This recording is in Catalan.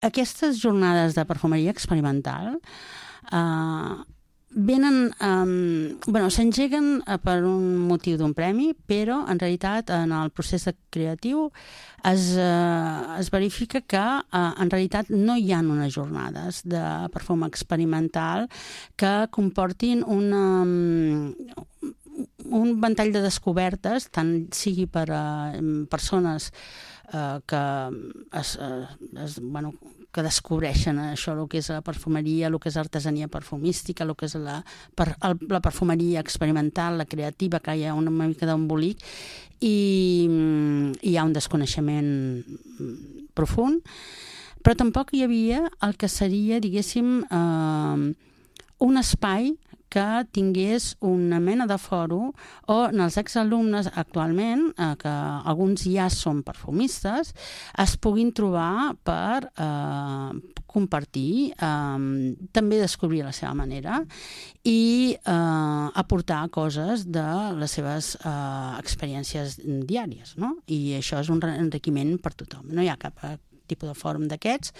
Aquestes jornades de perfumeria experimental s'engeguen per un motiu d'un premi, però en realitat en el procés creatiu es verifica que en realitat no hi ha unes jornades de perfum experimental que comportin un ventall de descobertes, tant sigui per a persones que descobreixen això, el que és la perfumeria, el que és artesania perfumística, el que és la perfumeria experimental, la creativa, que hi ha una mica d'embolic i hi ha un desconeixement profund, però tampoc hi havia el que seria, diguéssim, un espai que tingués una mena de fòrum on els exalumnes actualment, que alguns ja són perfumistes, es puguin trobar per compartir, també descobrir la seva manera i aportar coses de les seves experiències diàries, no? I això és un enriquiment per tothom. No hi ha cap tipus de fòrum d'aquests